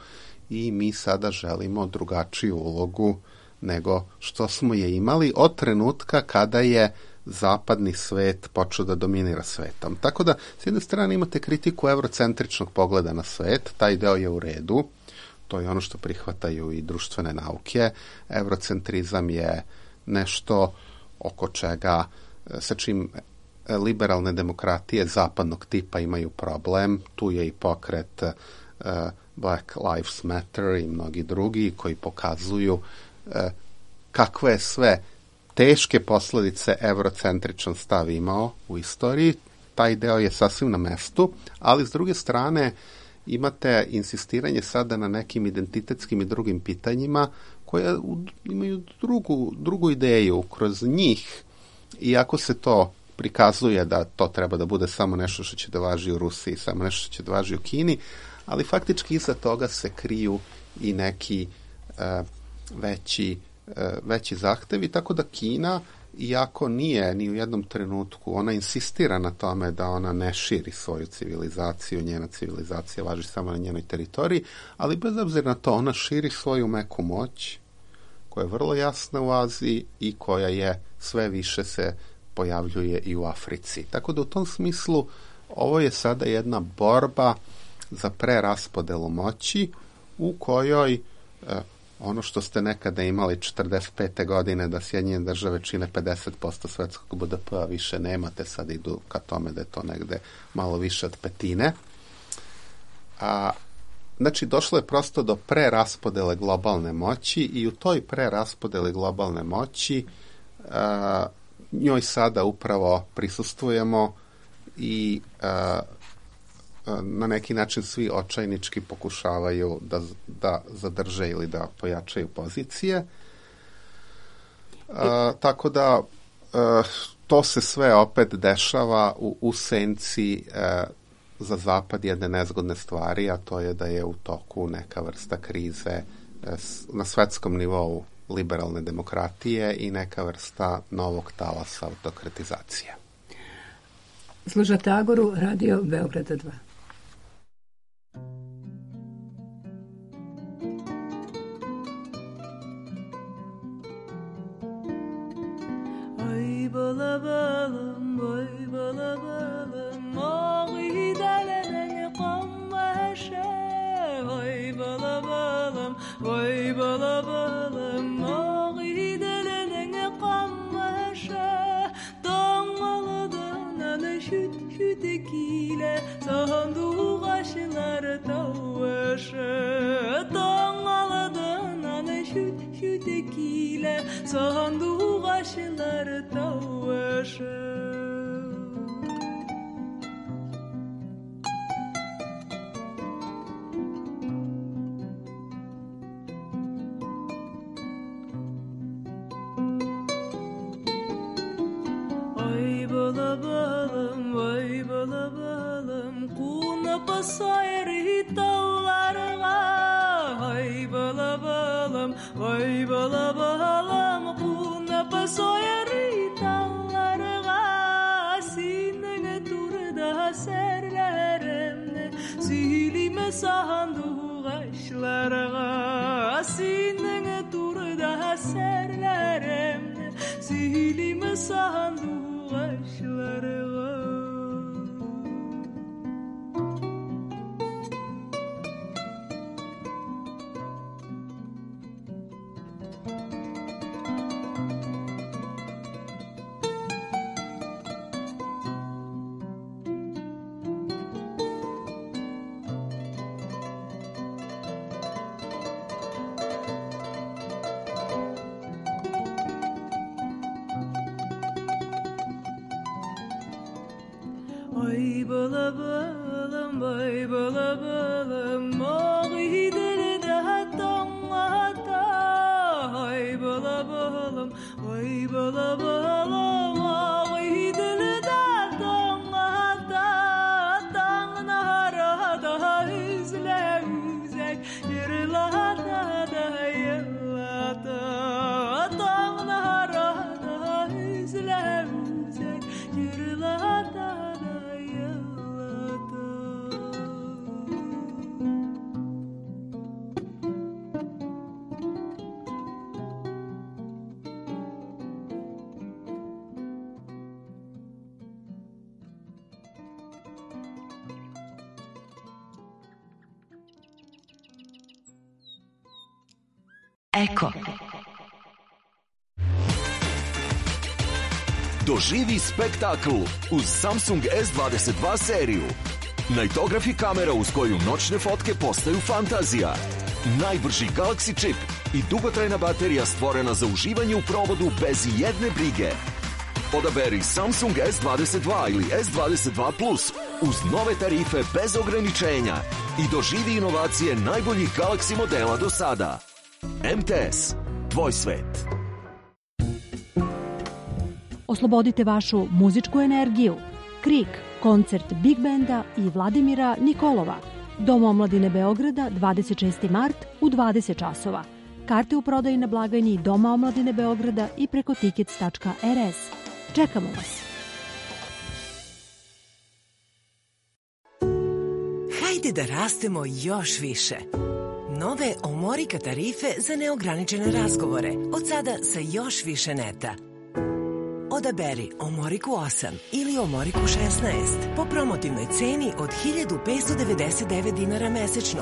i mi sada želimo drugačiju ulogu nego što smo je imali od trenutka kada je zapadni svet počeo da dominira svetom. Tako da, s jedne strane imate kritiku eurocentričnog pogleda na svet, taj deo je u redu, to je ono što prihvataju i društvene nauke. Eurocentrizam je nešto oko čega, sa čim liberalne demokratije zapadnog tipa imaju problem. Tu je i pokret Black Lives Matter i mnogi drugi koji pokazuju kakve je sve teške posljedice eurocentričan stav imao u istoriji. Taj deo je sasvim na mestu, ali s druge strane imate insistiranje sada na nekim identitetskim i drugim pitanjima koja imaju drugu ideju kroz njih. Iako se to prikazuje da to treba da bude samo nešto što će da važi u Rusiji, samo nešto što će da važi u Kini, ali faktički iza toga se kriju i neki veći zahtevi, tako da Kina, iako nije ni u jednom trenutku, ona insistira na tome da ona ne širi svoju civilizaciju, njena civilizacija važi samo na njenoj teritoriji, ali bez obzira na to ona širi svoju meku moć, koja je vrlo jasna u Aziji i koja je sve više se pojavljuje i u Africi. Tako da u tom smislu ovo je sada jedna borba za preraspodelu moći u kojoj ono što ste nekada imali 45. godine da Sjedinjene države čine 50% svetskog BDP-a, više nemate, sad idu ka tome da je to negde malo više od petine. Znači, došlo je prosto do preraspodele globalne moći i u toj preraspodeli globalne moći njoj sada upravo prisustvujemo i na neki način svi očajnički pokušavaju da zadrže ili da pojačaju pozicije. Tako da to se sve opet dešava u senci za Zapad jedne nezgodne stvari, a to je da je u toku neka vrsta krize na svetskom nivou liberalne demokratije i neka vrsta novog talasa autokratizacije. Slušate Agoru, Radio Beograda 2. Ay balabalım, ay balabalım, oği delenen kammaşa. Ay balabalım, ay balabalım, oği delenen kammaşa. Dağmalıdan ana şütekile, sahandu kaşılar tavaşa. Dağmalıdan ana şütekile, sahandu kaşılar tavaşa. Ay balabalım, ay balabalım, kuna pasayri tavlarga. Ay balabalım, ay balabalım, kuna pasayri tavlarga. Sinene turda serlerimne, silime sahandu kaşlarga. Sinene turda serlerimne, silime sahandu kaşlarga. Ay balabalım, ay balabalım, oği delede hatta. Ay balabalım, ay balabalım, oği delede hatta. Dağına da üzle üzek, yerlada da yellada. Dağına da üzle üzek, yerlada. Eko. Doživi spektakl uz Samsung S22 seriju. Nightography kamera uz koju noćne fotke postaju fantazija. Najbrži Galaxy čip i dugotrajna baterija stvorena za uživanje u provodu bez jedne brige. Odaberi Samsung S22 ili S22 Plus uz nove tarife bez ograničenja i doživi inovacije najboljih Galaxy modela do sada. MTS, tvoj svet. Oslobodite vašu muzičku energiju. Krik, koncert Big Benda i Vladimira Nikolova. Dom omladine Beograda, 26. mart u 20 časova. Karte u prodaji na blagajni Doma omladine Beograda i preko tickets.rs. Čekamo vas. Hajde da rastemo još više. Nove Omorika tarife za neograničene razgovore. Od sada sa još više neta. Odaberi Omoriku 8 ili Omoriku 16 po promotivnoj ceni od 1599 dinara mesečno.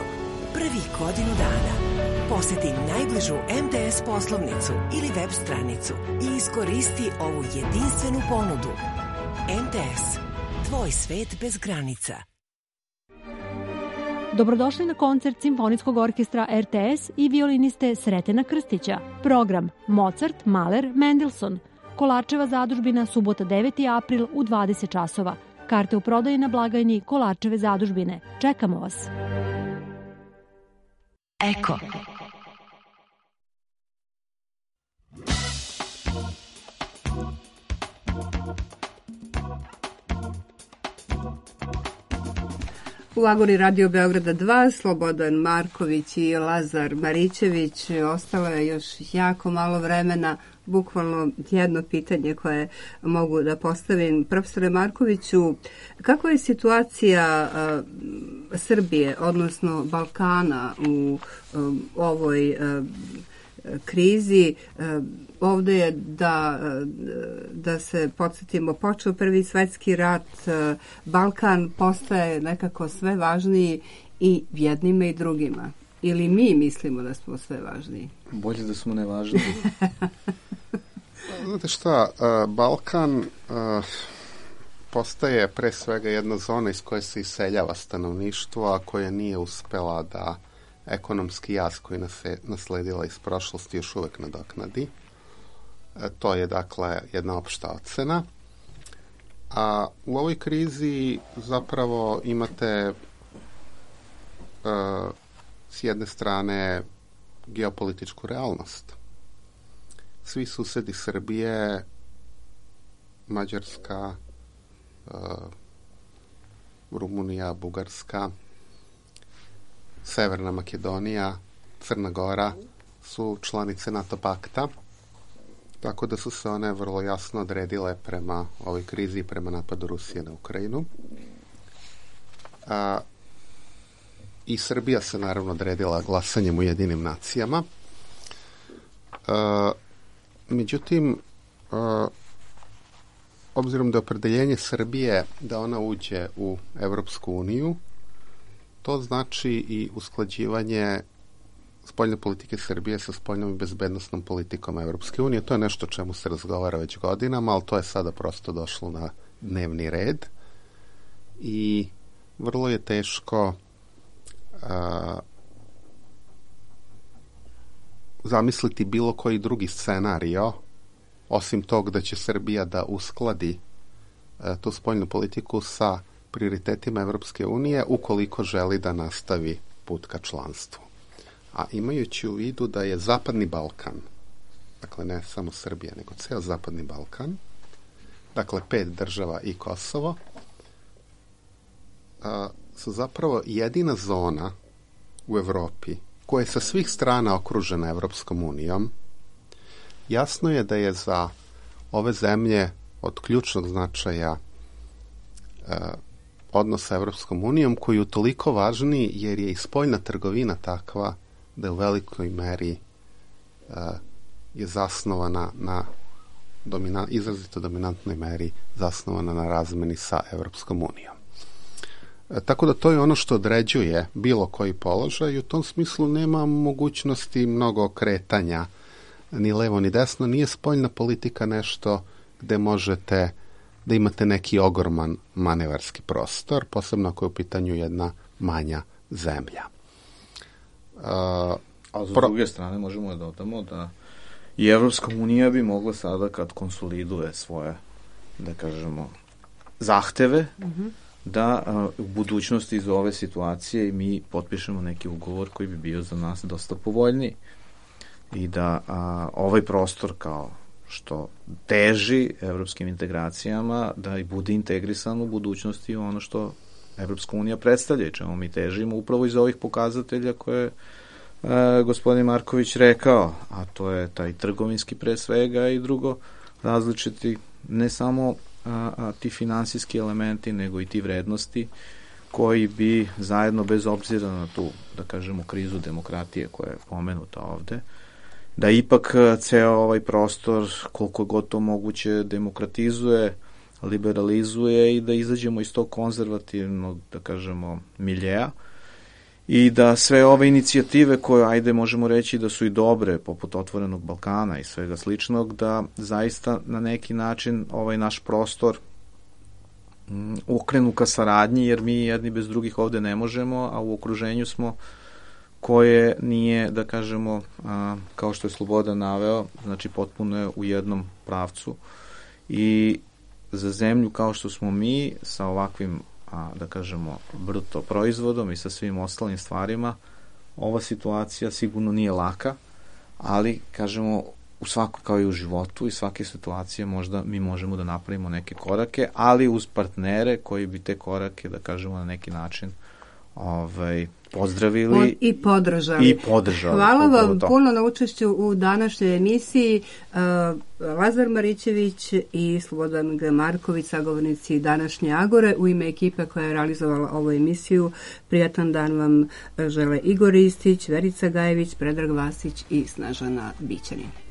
prvih godinu dana. Poseti najbližu MTS poslovnicu ili web stranicu i iskoristi ovu jedinstvenu ponudu. MTS. Tvoj svet bez granica. Dobrodošli na koncert Simfonijskog orkestra RTS i violiniste Sretena Krstića. Program Mozart, Mahler, Mendelssohn. Kolarčeva zadužbina, subota 9. april u 20 časova. Karte u prodaji na blagajni Kolarčeve zadužbine. Čekamo vas. Eko. U Agori Radio Beograda 2, Slobodan Marković i Lazar Marićević. Ostalo je još jako malo vremena, bukvalno jedno pitanje koje mogu da postavim. Profesore Markoviću, kakva je situacija Srbije, odnosno Balkana u ovoj krizi? Ovde je da se podsjetimo, počeo Prvi svetski rat, Balkan postaje nekako sve važniji i jednima i drugima. Ili mi mislimo da smo sve važniji? Bolje da smo nevažniji. Znate šta, Balkan postaje pre svega jedna zona iz koje se iseljava stanovništvo, a koja nije uspela da ekonomski jaz koji nas je nasledila iz prošlosti još uvek nadoknadi. To je dakle jedna opšta ocena. A u ovoj krizi zapravo imate s jedne strane geopolitičku realnost. Svi susedi Srbije, Mađarska, Rumunija, Bugarska, Severna Makedonija, Crna Gora su članice NATO pakta, tako da su se one vrlo jasno odredile prema ovoj krizi i prema napadu Rusije na Ukrajinu. I Srbija se naravno odredila glasanjem u Ujedinim nacijama. Međutim, obzirom da je opredeljenje Srbije da ona uđe u Evropsku uniju, to znači i usklađivanje spoljne politike Srbije sa spoljnom i bezbednostnom politikom Evropske unije. To je nešto o čemu se razgovara već godinama, ali to je sada prosto došlo na dnevni red i vrlo je teško zamisliti bilo koji drugi scenario osim tog da će Srbija da uskladi tu spoljnu politiku sa prioritetima Evropske unije ukoliko želi da nastavi put ka članstvu. A imajući u vidu da je Zapadni Balkan, dakle ne samo Srbija, nego ceo Zapadni Balkan, dakle 5 država i Kosovo, su zapravo jedina zona u Evropi koja je sa svih strana okružena Evropskom unijom. Jasno je da je za ove zemlje od ključnog značaja odnos sa Evropskom unijom, koji je toliko važniji jer je i spoljna trgovina takva da je u velikoj meri je zasnovana na izrazito dominantnoj meri zasnovana na razmeni sa Evropskom unijom. Tako da to je ono što određuje bilo koji položaj i u tom smislu nema mogućnosti mnogo kretanja ni levo ni desno. Nije spoljna politika nešto gde možete da imate neki ogroman manevarski prostor, posebno ako je u pitanju jedna manja zemlja. A s druge strane možemo da dodamo da i Evropska unija bi mogla sada kad konsoliduje svoje, da kažemo, zahteve, da u budućnosti iz ove situacije mi potpišemo neki ugovor koji bi bio za nas dosta povoljniji i da ovaj prostor kao što teži evropskim integracijama da i bude integrisan u budućnosti ono što Evropska unija predstavlja i čemu mi težimo upravo iz ovih pokazatelja koje je gospodin Marković rekao, a to je taj trgovinski pre svega i drugo različiti ne samo ti finansijski elementi nego i ti vrednosti koji bi zajedno bez obzira na tu, da kažemo, krizu demokratije koja je pomenuta ovde, da ipak ceo ovaj prostor koliko god to moguće demokratizuje, liberalizuje i da izađemo iz tog konzervativnog, da kažemo, miljeja i da sve ove inicijative koje, ajde, možemo reći da su i dobre, poput Otvorenog Balkana i svega sličnog, da zaista na neki način ovaj naš prostor okrenu ka saradnji, jer mi jedni bez drugih ovde ne možemo, a u okruženju smo koje nije, da kažemo, kao što je Slobodan naveo, znači potpuno je u jednom pravcu i za zemlju kao što smo mi, sa ovakvim, da kažemo, bruto proizvodom i sa svim ostalim stvarima, ova situacija sigurno nije laka, ali, kažemo, u svakoj, kao i u životu i svake situacije možda mi možemo da napravimo neke korake, ali uz partnere koji bi te korake, da kažemo, na neki način pozdravili i podržali. Hvala vam puno na učešću u današnjoj emisiji. Lazar Marićević i Slobodan G. Marković, sagovornici današnje Agore, u ime ekipe koja je realizovala ovu emisiju. Prijatan dan vam žele Igor Ristić, Verica Gajević, Predrag Vasić i Snežana Bićanin.